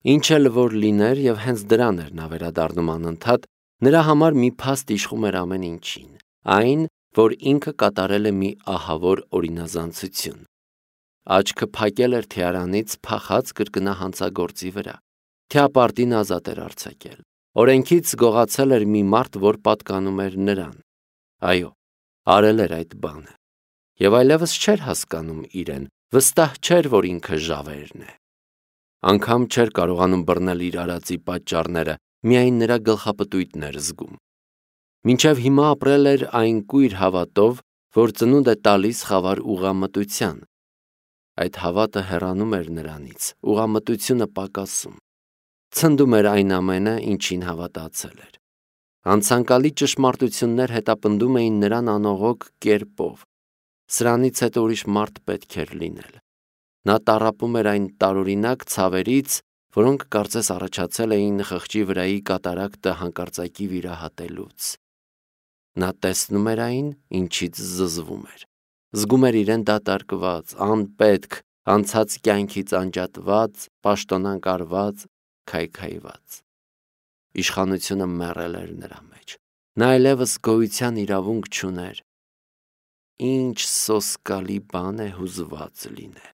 Ինչ էլ որ լիներ եւ հենց դրան էր նա վերադառնում անընդհատ, նրա համար մի փաստ իշխում էր ամեն ինչին, այն, որ ինքը կատարել է մի ահավոր օրինազանցություն։ Աչքը փակել էր թիարանից փախած կրկնա հանցագործի վրա, թիապարտին ազատ էր արձակել, օրենքից գողացել էր մի մարդ, որ պատկանում էր նրան։ Այո, արել էր այդ բանը, եւ այլևս չէր հասկանում իրեն, վստահ չէր, որ ինքը ժավերն է։ Անգամ չէր կարողանում բռնել իր արածի պատճառները, միայն նրա գլխապտույտն էր զգում։ Մինչև հիմա ապրել էր այն կույր հավատով, որ ծնունդ է տալիս խավար ուղղամտության։ Այդ հավատը հեռանում էր նրանից, ուղղամտությունը պակասում։ Ցնդում էր այն ամենը, ինչին հավատացել էր։ Անցանկալի ճշմարտություններ հետապնդում էին նրան անողոք կերպով։ Սրանից հետո ուրիշ մարդ պետք էր լինել։ Նա տառապում էր այն տարօրինակ ցավերից, որոնք կարծես առաջացել էին խղճի վրայի կատարակտը հանկարծակի վիրահատելուց։ Նա տեսնում էր այն, ինչից զզվում էր։ Զգում էր իրեն դատարկված, անպետք, անցած կյանքից անջատված, պաշտոնանկարված, քայքայված։ Իշխանությունը մեռել էր նրա մեջ։ Նա այլևս գոյության իրավունք չուներ։ Ինչ սոսկալի բան է հուզված լինել։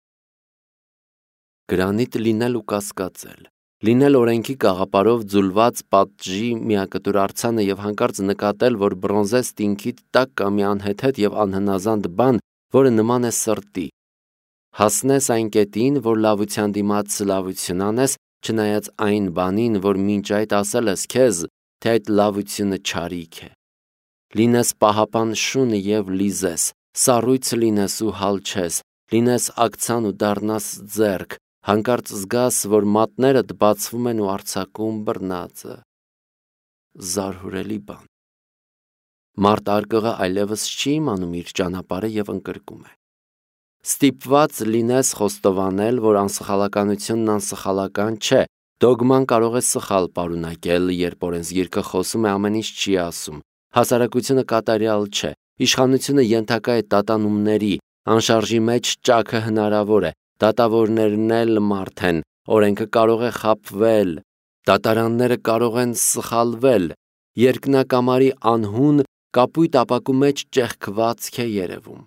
Գրանիտ լինել ու կասկածել, լինել օրենքի կաղապարով ձուլված պատժի միակտուր արձանը եւ հանկարծ նկատել, որ բրոնզե ստինքիդ տակ կա մի անհեթեթ եւ անհնազանդ բան, որը նման է սրտի։ Հասնես այն կետին, որ լավության դիմաց լավություն անես, չնայած այն բանին, որ մինչ այդ ասել ես քեզ, թե այդ լավությունը չարիք է։ Լինես պահապան շուն եւ լիզես, սառույց լինես ու հալչես, լինես ակցան ու դառնաս ձեռք, հանկարծ զգաս, որ մատներդ բացվում են ու արձակում բռնածը։ Զարհուրելի բան։ Մարդ արկղը այլևս չի իմանում իր ճանապարհը եւ ընկրկում է։ Ստիպված լինես խոստովանել, որ անսխալականությունն անսխալական չէ։ Դոգման կարող է սխալ պարունակել, երբ օրենսգիրքը խոսում է, ամեն ինչ չի ասում։ Հասարակությունը կատարյալ չէ։ Իշխանությունը ենթակա է տատանումների, անշարժի մեջ ճաքը հնարավոր է, դատավորներն էլ մարդ են, օրենքը կարող է խաբվել, դատարանները կարող են սխալվել, երկնակամարի անհուն կապույտ ապակու մեջ ճեղքվածք է երևում։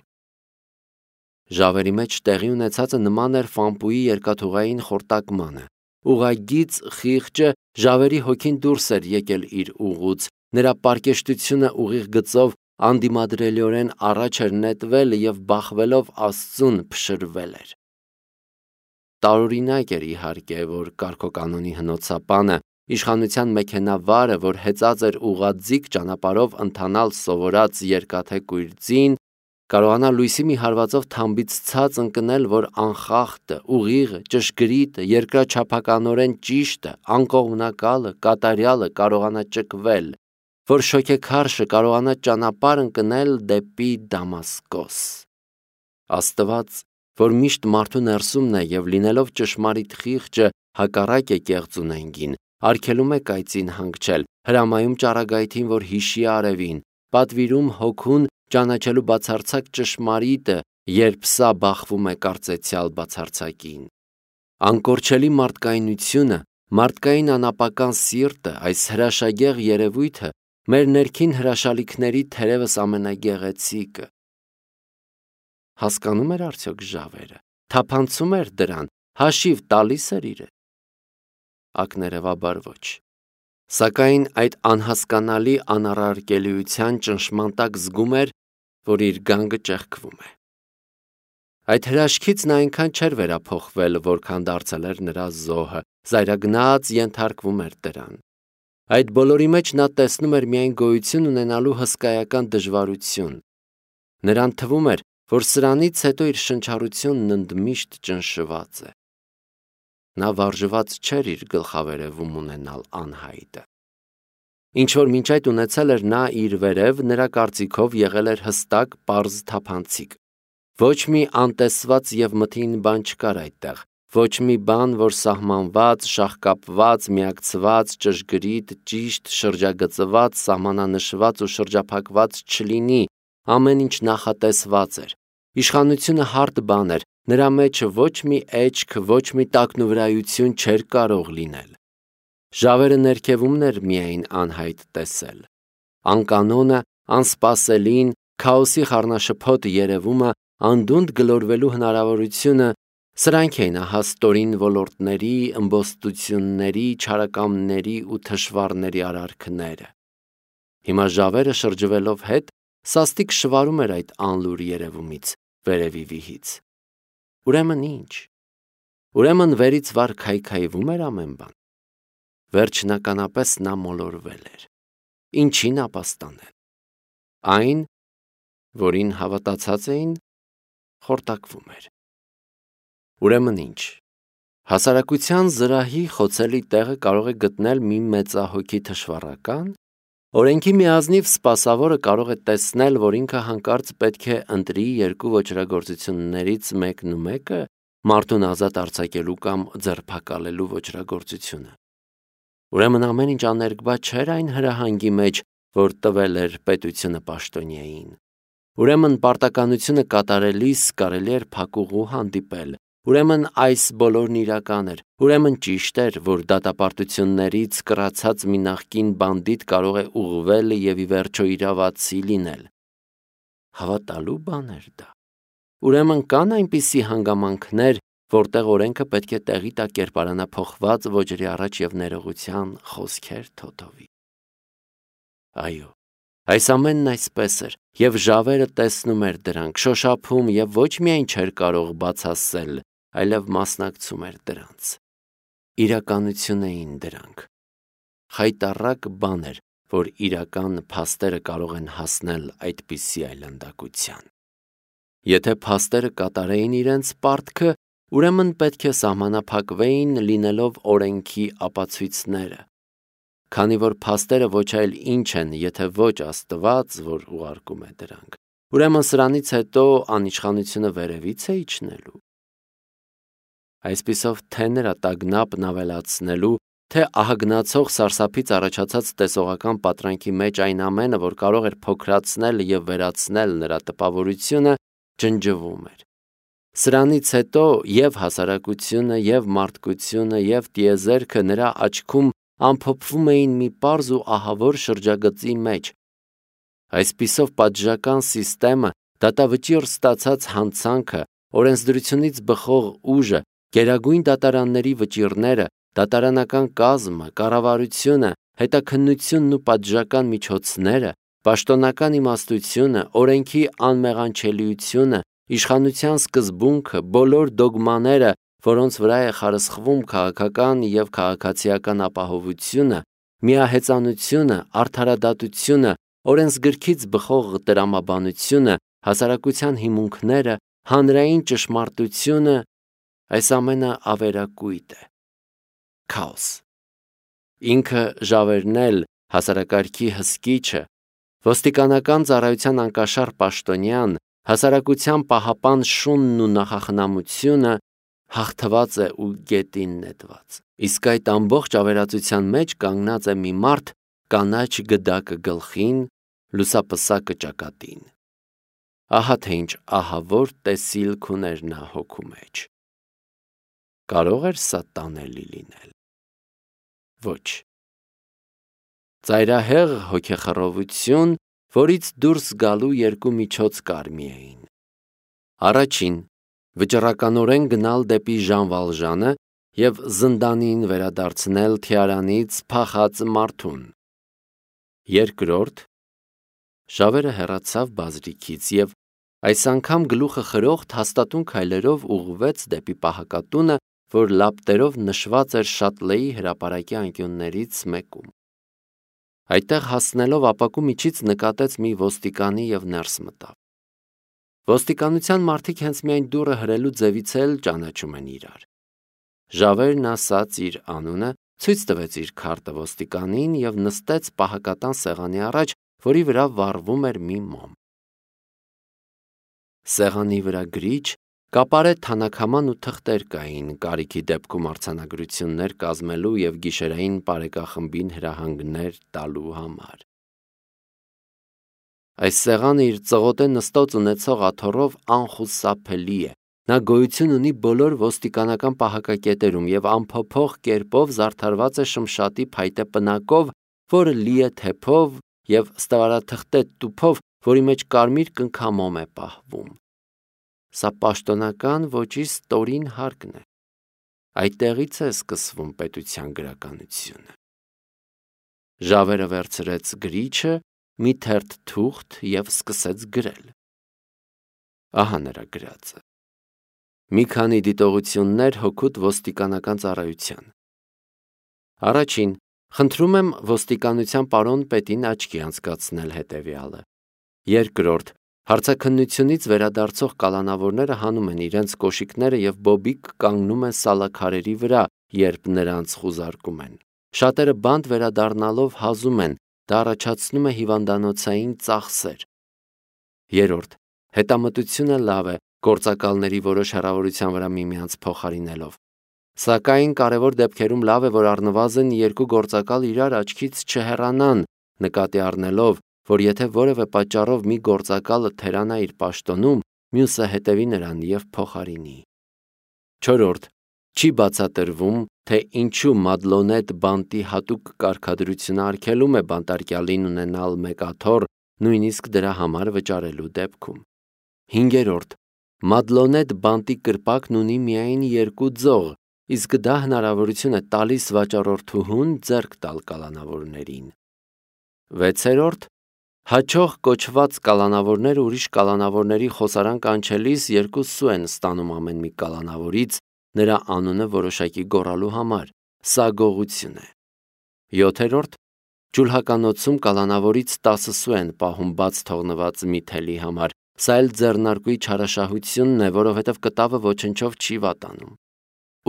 Ժավերի մեջ տեղի ունեցածը նման էր Ֆամպուի երկաթուղային խորտակմանը։ Ուղղագիծ խիղճը ժավերի հոգին դուրս էր եկել իր ուղուց, նրա պարկեշտությունը ուղիղ գծով անդիմադրելիորեն առաջ էր նետվել եւ բախվելով Աստծուն փշրվել էր։ Տարօրինակ էր իհարկե, որ կարգոկանոնի հնոցապանը, իշխանության մեքենավարը, որ հեծած էր ուղղաձիգ ճանապարհով ընթանալ սովորած երկաթե կույր ձին, կարողանա լույսի մի հարվածով թամբից ցած ընկնել, որ անխախտը, ուղիղը, ճշգրիտը, երկրաչափականորեն ճիշտը, անկողմնակալը, կատարյալը կարողանա ճկվել, որ շոգեքարշը կարողանա ճանապարհ ընկնել դեպի Դամասկոս։ Աստված, որ միշտ մարդու ներսումն է եւ լինելով ճշմարիտ խիղճը հակառակ է կեղծ ունենգին, արգելում է կայծին հանգչել, հրամայում ճառագայթին, որ հիշի արևին, պատվիրում հոգուն ճանաչելու բացարձակ ճշմարիտը, երբ սա բախվում է կարծեցյալ բացարձակին։ Անկորչելի մարդկայնությունը, մարդկային անապական սիրտը, այս հրաշագեղ երևույթը մեր ներքին հրաշալիքների թերևս ամենագեղեցիկը։ Հասկանում էր արդյոք ժավերը, թափանցում էր դրան, հաշիվ տալիս էր իրեն։ Ակներևաբար ոչ։ Սակայն այդ անհասկանալի անառարկելիության ճնշման տակ զգում էր, որ իր գանգը ճեղքվում է։ Այդ հրաշքից նա այնքան չէր վերափոխվել, որքան դարձել էր նրա զոհը, զայրագնաց ենթարկվում էր դրան։ Այդ բոլորի մեջ նա տեսնում էր միայն գոյություն ունենալու հսկայական դժվարություն։ Նրան թվում էր, որ սրանից հետո իր շնչառությունն ընդմիշտ ճնշված է։ Նա վարժված չէր իր գլխավերևում ունենալ անհայտը։ Ինչ որ մինչ այդ ունեցել էր նա իր վերև, նրա կարծիքով եղել էր հստակ, պարզ թափանցիկ։ Ոչ մի անտեսված եւ մթին բան չկար այդտեղ, ոչ մի բան, որ սահմանված, շաղկապված, միակցված, ճշգրիտ, ճիշտ, շրջագծված, սահմանանշված ու շրջափակված չլինի, ամեն ինչ նախատեսված էր։ Իշխանությունը հարթ բան էր, Նրա մեջ ոչ մի էջք, ոչ մի տակնուվրայություն չէր կարող լինել։ Ժավերը ներքևումն էր միայն անհայտ տեսել։ Անկանոնը, անսպասելին, քաոսի խառնաշփոթ երևումը, անդունդ գլորվելու հնարավորությունը, սրանք էին հաստորին ոլորտների, ըմբոստությունների, չարակամների ու թշվառների արարքները։ Հիմա ժավերը շրջվելով հետ, սաստիկ շվարում էր այդ անլուր երևումից, վերևի վիհից։ Ուրեմն ինչ։ Ուրեմն վերից վար քայքայվում էր ամեն բան։ Վերջնականապես նա մոլորվել էր։ Ինչին ապաստանել։ Այն, որին հավատացած էին, խորտակվում էր։ Ուրեմն ինչ։ Հասարակության զրահի խոցելի տեղը կարող է գտնել մի մեծահոգի թշվառական, օրենքի միազնիվ սպասավորը կարող է տեսնել, որ ինքը հանկարծ պետք է ընտրի երկու ոճրագործություններից մեկն ու մեկը մարդուն ազատ արձակելու կամ ձերբակալելու ոճրագործությունը։ Ուրեմն ամեն ինչ աներկբա չէր այն հրահանգի մեջ, որ տվել էր պետությունը պաշտոնյային։ Ուրեմն պարտականությունը կատարելիս կարելի էր փակուղու հանդիպել։ Ուրեմն այս բոլորն իրական էր։ Ուրեմն ճիշտ էր, որ դատապարտություններից կռացած մի նախկին բանդիտ կարող է ուղղվել եւ ի վերջո իրավացի լինել։ Հավատալու բան էր դա։ Ուրեմն կան այնպիսի հանգամանքներ, որտեղ օրենքը պետք է տեղի տա կերպարանափոխված ոճրի առաջ եւ ներողության խոսքեր թոթովի։ Այո, այս ամենն այսպես էր, եւ ժավերը տեսնում էր դրանք, շոշափում եւ ոչ միայն չէր կարող բացասել, այլև մասնակցում էր դրանց։ Իրականություն էին դրանք։ Խայտառակ բան էր, որ իրական փաստերը կարող են հասնել այդպիսի այլանդակության։ Եթե փաստերը կատարեին իրենց պարտքը, ուրեմն պետք է սահմանափակվեին լինելով օրենքի ապացույցները։ Քանի որ փաստերը ոչ այլ ինչ են, եթե ոչ Աստված, որ ուղարկում է դրանք, ուրեմն սրանից հետո անիշխանությունը վերևից է իջնելու։ Այսպիսով թե նրա տագնապն ավելացնելու, թե ահագնացող սարսափից առաջացած տեսողական պատրանքի մեջ այն ամենը, որ կարող էր փոքրացնել եւ վերացնել նրա տպավորությունը, ջնջվում էր։ Սրանից հետո եւ հասարակությունը, եւ մարդկությունը, եւ տիեզերքը նրա աչքում ամփոփվում էին մի պարզ ու ահավոր շրջագծի մեջ։ Այսպիսով պատժական սիստեմը, դատավճիռ ստացած հանցանքը, օրենսդրությունից բխող ուժը, գերագույն դատարանների վճիռները, դատարանական կազմը, կառավարությունը, հետաքննությունն ու պատժական միջոցները, պաշտոնական իմաստությունը, օրենքի անմեղանչելիությունը, իշխանության սկզբունքը, բոլոր դոգմաները, որոնց վրա է խարսխվում քաղաքական եւ քաղաքացիական ապահովությունը, միահեծանությունը, արդարադատությունը, օրենսգրքից բխող տրամաբանությունը, հասարակության հիմունքները, հանրային ճշմարտությունը, այս ամենը ավերակույտ է։ Քաոս։ Ինքը ժավերն էլ, հասարակարգի հսկիչը, ոստիկանական ծառայության անկաշար պաշտոնյան, հասարակության պահապան շունն ու նախախնամությունը հաղթված է ու գետին նետված։ Իսկ այդ ամբողջ ավերածության մեջ կանգնած է մի մարդ կանաչ գդակը գլխին, լուսապսակը ճակատին։ Ահա թե ինչ ահավոր տեսիլք ուներ նա հոգու մեջ։ Կարող էր սա տանելի լինել։ Ոչ։ Ծայրահեղ հոգեխռովություն, որից դուրս գալու երկու միջոց կար միայն։ Առաջին, վճռականորեն գնալ դեպի Ժան Վալժանը եւ զնդանին վերադարձնել թիարանից փախած մարդուն։ Երկրորդ, ժավերը հեռացավ բազրիքից եւ այս անգամ գլուխը խրոխտ հաստատուն քայլերով ուղղվեց դեպի պահակատունը, որ լապտերով նշված էր Շատլեի հրապարակի անկյուններից մեկում։ Այդտեղ հասնելով ապակու միջից նկատեց մի ոստիկանի եւ ներս մտավ։ Ոստիկանության մարդիկ հենց միայն դուռը հրելու ձևից էլ ճանաչում են իրար։ Ժավերն ասաց իր անունը, ցույց տվեց իր քարտը ոստիկանին եւ նստեց պահակատան սեղանի առաջ, որի վրա վառվում էր մի մոմ։ Սեղանի վրա գրիչ, կապարե թանաքաման ու թղթեր կային կարիքի դեպքում արձանագրություններ կազմելու եւ գիշերային բարեկախմբին հրահանգներ տալու համար։ Այս սեղանը իր ծղոտե նստած ունեցող աթոռով անխուսափելի է, Նա գոյություն ունի բոլոր ոստիկանական պահակակետերում եւ անփոփոխ կերպով զարդարված է շմշատի փայտե պնակով, որը լի է թեփով եւ ստվարաթղթե տուփով, որի մեջ կարմիր կնքամոմ է պահվում։ Սա պաշտոնական ոճի ստորին հարկն է։ Այդտեղից է սկսվում պետության գրականությունը։ Ժավերը վերցրեց գրիչը, մի թերթ թուղթ եւ սկսեց գրել։ Ահա նրա գրածը։ Մի քանի դիտողություններ հօգուտ ոստիկանական ծառայության։ Առաջին, խնդրում եմ ոստիկանության պարոն պետին աչքի անցկացնել հետևյալը։ Երկրորդ, հարցաքննությունից վերադարձող կալանավորները հանում են իրենց կոշիկները եւ բոբիկ կանգնում են սալաքարերի վրա, երբ նրանց խուզարկում են։ Շատերը բանտ վերադառնալով հազում են, դա առաջացնում է հիվանդանոցային ծախսեր։ Երրորդ, հետամտությունը լավ է, գործակալների որոշ հեռավորության վրա միմյանց փոխարինելով։ Սակայն կարևոր դեպքերում լավ է, որ առնվազն երկու գործակալ իրար աչքից չհեռանան, նկատի առնելով, որ եթե որևէ պատճառով մի գործակալը թերանա իր պաշտոնում, մյուսը հետևի նրան եւ փոխարինի։ Չորրորդ, չի բացատրվում, թե ինչու մադլոնետ բանտի հատուկ կարգադրությունը արգելում է բանտարկյալին ունենալ մեկ աթոռ, նույնիսկ դրա համար վճարելու դեպքում։ Հինգերորդ, մադլոնետ բանտի կրպակն ունի միայն երկու ձող, իսկ դա հնարավորություն է տալիս վաճառորդուհուն ձեռք տալ կալանավորներին։ Վեցերորդ, հաճող կոչված կալանավորները ուրիշ կալանավորների խոսարան կանչելիս երկու սու են ստանում ամեն մի կալանավորից նրա անունը որոշակի գոռալու համար, սա գողություն է։ Յոթերորդ, ջուլհականոցում կալանավորից 10 սու են պահում բաց թողնված մի թելի համար, սա էլ ձեռնարկուի չարաշահությունն է, որովհետև կտավը ոչնչով չի վատանում։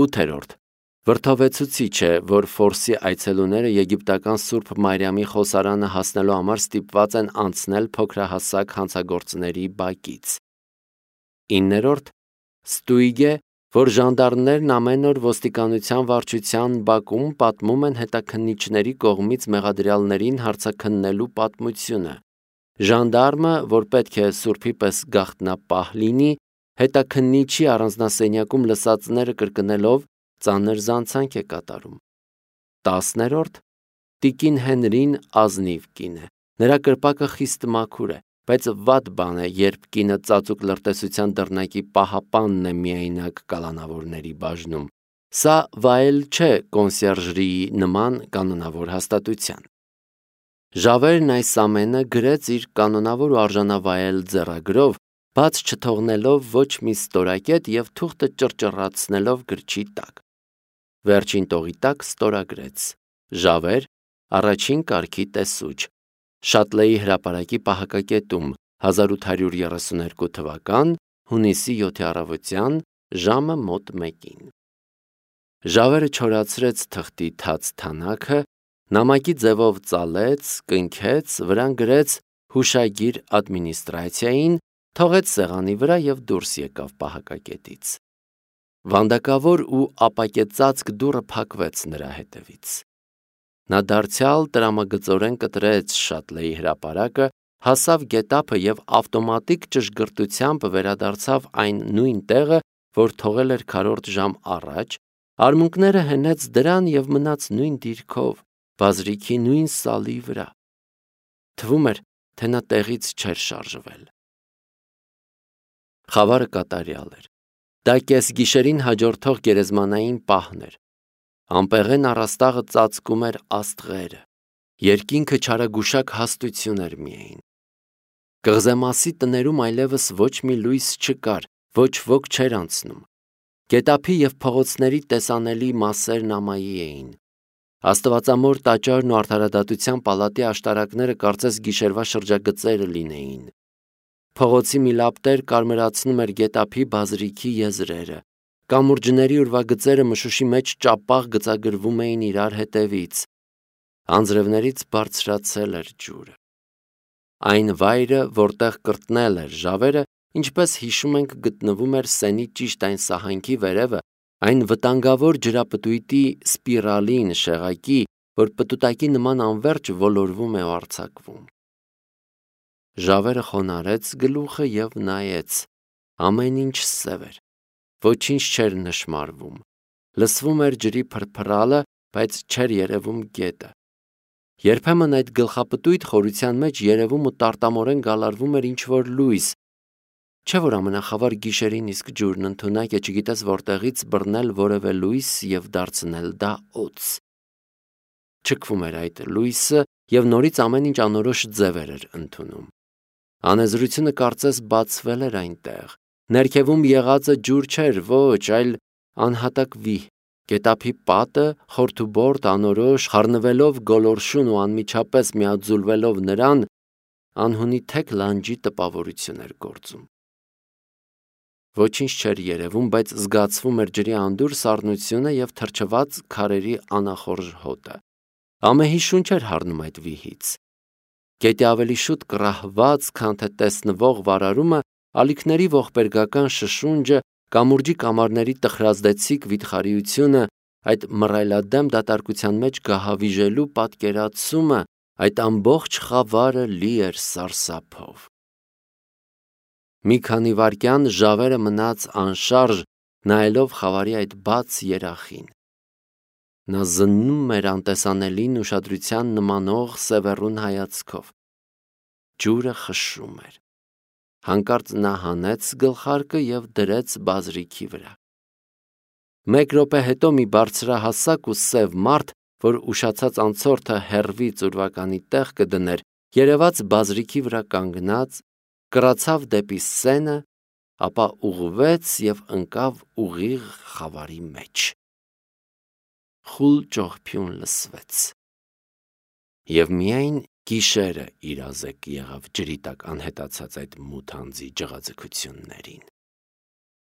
Ութերորդ, վրդովեցուցիչ է, որ Ֆորսի այցելուները եգիպտական Սուրբ Մարիամի խոսարանը հասնելու համար ստիպված են անցնել փոքրահասակ հանցագործների բակից։ Իններորդ, ստույգ է, որ ժանդարմներն ամեն օր ոստիկանության վարչության բակում պատմում են հետաքննիչների կողմից մեղադրյալներին հարցաքննելու պատմությունը։ Ժանդարմը, որ պետք է սուրբի պես գաղտնապահ լինի, հետաքննիչի առանձնասենյակում լսածները կրկնելով ծանր զանցանք է կատարում։ 10-րդ, տիկին Հենրին ազնիվ կին է։ Նրա կրպակը խիստ մաքուր է, բայց վատ բան է, երբ կինը ծածուկ լրտեսության դռնակի պահապանն է միայնակ կալանավորների բաժնում։ Սա վայել չէ կոնսերժրիի նման կանոնավոր հաստատության։ Ժավերն այս ամենը գրեց իր կանոնավոր ու արժանավայել ձեռագրով, բաց չթողնելով ոչ մի ստորակետ եւ թուղթը ճռճռացնելով գրչի տակ։ Վերջին տողի տակ ստորագրեց. Ժավեր, առաջին կարգի տեսուչ, Շատլեի հրապարակի պահակակետում 1832 թվական հունիսի 7-ի առավոտյան ժամը մոտ 1-ին։ Ժավերը չորացրեց թղթի թաց թանակը, նամակի ձևով ծալեց, կնքեց, վրան գրեց հուշագիր ադմինիստրացիային, թողեց սեղանի վրա եւ դուրս եկավ պահակակետից։ Վանդակավոր ու ապակեցածկ դուռը փակվեց նրա հետևից։ Նա դարձյալ տրամագծորեն կտրեց Շատլեի հրապարակը, հասավ գետափը եւ ավտոմատիկ ճշգրտությամբ վերադարձավ այն նույն տեղը, որ թողել էր քառորդ ժամ առաջ, արմունկները հենեց դրան եւ մնաց նույն դիրքով, բազրիքի նույն սալի վրա։ Թվում էր, թե նա տեղից չէր շարժվել։ Խավարը կատարյալ էր։ Դա կեսգիշերին հաջորդող գերեզմանային պահն էր։ Ամպեղեն առաստաղը ծածկում էր աստղերը։ Երկինքը չարագուշակ հաստություն էր միայն։ Կղզեմասի տներում այլևս ոչ մի լույս չկար, ոչ ոք չէր անցնում։ Գետափի եւ փողոցների տեսանելի մասերն ամայի էին։ Աստվածամոր տաճարն ու արդարադատության պալատի աշտարակները կարծես գիշերվա շրջագծերը լինեին։ Փողոցի մի լապտեր կարմրացնում էր գետափի բազրիքի եզրերը։ Կամուրջների ուրվագծերը մշուշի մեջ ճապաղ գծագրվում էին իրար հետևից։ Անձրևներից բարձրացել էր ջուրը։ Այն վայրը, որտեղ կրտնել էր Ժավերը, ինչպես հիշում ենք, գտնվում էր Սենի ճիշտ այն սահանքի վերևը, այն վտանգավոր ջրապտույտի սպիրալին շեղակի, որ պտուտակի նման անverջ ոլորվում է ու արձակվում։ Ժավերը խոնարհեց գլուխը եւ նայեց։ Ամեն ինչ սև էր։ Ոչինչ չէր նշմարվում։ Լսվում էր ջրի փրփրալը, բայց չէր երևում գետը։ Երբեմն այդ գլխապտույտ խորության մեջ երևում ու տարտամորեն գալարվում էր ինչ-որ լույս, չէ՞ որ ամենախավար գիշերին իսկ ջուրն ընդունակ է, չգիտես որտեղից բռնել որևէ լույս և դարձնել դա օձ։ Չքվում էր այդ լույսը և նորից ամեն ինչ անորոշ ձևեր էր ընդունում։ Անեզրությունը կարծես բացվել էր այնտեղ։ Ներքևում եղածը ջուր չէր, ոչ, այլ անհատակ վիհ։ Գետափի պատը խորթուբորտ, անորոշ, խառնվելով գոլորշուն ու անմիջապես միաձուլվելով նրան, անհունի թեք լանջի տպավորություն էր գործում։ Ոչինչ չէր երևում, բայց զգացվում էր ջրի անդուր սառնությունը և թրջված քարերի անախորժ հոտը։ Ամեհի շունչ էր հառնում այդ վիհից։ Գետի ավելի շուտ կռահված, քան թե տեսնվող վարարումը, ալիքների ողբերգական շշունջը, կամուրջի կամարների տխրազդեցիկ վիթխարիությունը, այդ մռայլադեմ դատարկության մեջ գահավիժելու պատկերացումը, այդ ամբողջ խավարը լի էր սարսափով։ Մի քանի վայրկյան ժավերը մնաց անշարժ, նայելով խավարի այդ բաց երախին։ Նա զննում էր անտեսանելին ուշադրության նմանող սևեռուն հայացքով։ Ջուրը խշշում էր։ Հանկարծ նա հանեց գլխարկը և դրեց բազրիքի վրա։ Մեկ րոպե հետո մի բարձրահասակ ու սև մարդ, որ ուշացած անցորդը հեռվից ուրվականի տեղ կդներ, երևաց բազրիքի վրա կանգնած, կռացավ դեպի սենը, ապա ուղղվեց և ընկավ ուղիղ խավարի մեջ։ Խուլ ճողփյուն լսվեց։ Եվ միայն գիշերը իրազեկ եղավ ջրի տակ անհետացած այդ մութ անձի ջղաձգություններին։